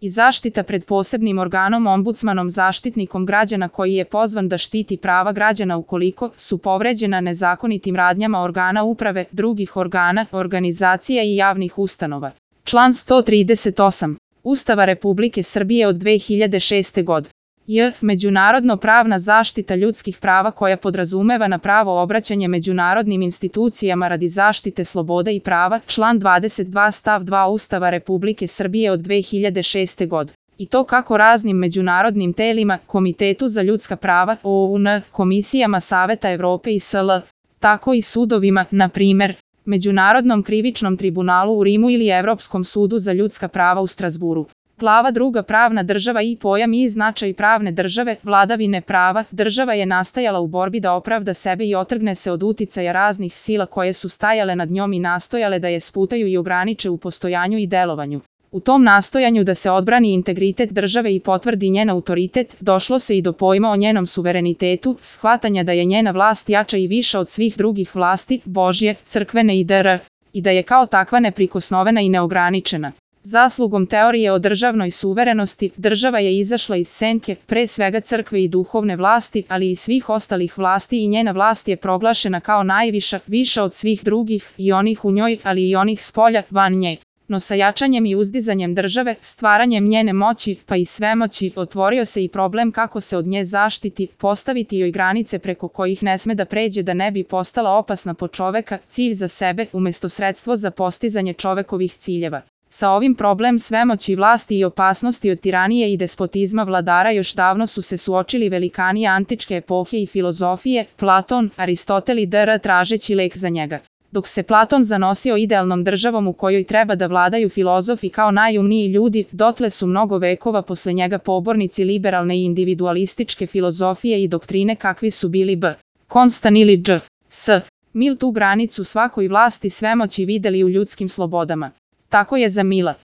i zaštita pred posebnim organom ombudsmanom zaštitnikom građana koji je pozvan da štiti prava građana ukoliko su povređena nezakonitim radnjama organa uprave, drugih organa, organizacija i javnih ustanova. Član 138. Ustava Republike Srbije od 2006. godine. Međunarodno pravna zaštita ljudskih prava koja podrazumeva na pravo obraćanje međunarodnim institucijama radi zaštite sloboda i prava, član 22 stav 2 Ustava Republike Srbije od 2006. godine. I to kako raznim međunarodnim telima, Komitetu za ljudska prava, OUN, komisijama Saveta Evrope i SL, tako i sudovima, na primer, Međunarodnom krivičnom tribunalu u Rimu ili Evropskom sudu za ljudska prava u Strazburu. Glava 2. Pravna država i pojam i značaj pravne države, vladavine prava. Država je nastajala u borbi da opravda sebe i otrgne se od uticaja raznih sila koje su stajale nad njom i nastojale da je sputaju i ograniče u postojanju i delovanju. U tom nastojanju da se odbrani integritet države i potvrdi njen autoritet, došlo se i do pojma o njenom suverenitetu, shvatanja da je njena vlast jača i viša od svih drugih vlasti, Božje, crkvene i dr. i da je kao takva neprikosnovena i neograničena. Zaslugom teorije o državnoj suverenosti, država je izašla iz senke, pre svega crkve i duhovne vlasti, ali i svih ostalih vlasti i njena vlast je proglašena kao najviša, viša od svih drugih, i onih u njoj, ali i onih spolja, van nje. No sa jačanjem i uzdizanjem države, stvaranjem njene moći, pa i svemoći, otvorio se i problem kako se od nje zaštiti, postaviti joj granice preko kojih ne sme da pređe da ne bi postala opasna po čoveka, cilj za sebe, umesto sredstvo za postizanje čovekovih ciljeva. Sa ovim problem svemoći vlasti i opasnosti od tiranije i despotizma vladara još davno su se suočili velikani antičke epohe i filozofije, Platon, Aristotel i dr. tražeći lek za njega. Dok se Platon zanosio idealnom državom u kojoj treba da vladaju filozofi kao najumniji ljudi, dotle su mnogo vekova posle njega pobornici liberalne i individualističke filozofije i doktrine kakvi su bili B. Konstan ili Dž. S. Mil tu granicu svakoj vlasti svemoći videli u ljudskim slobodama. Tako je za Mila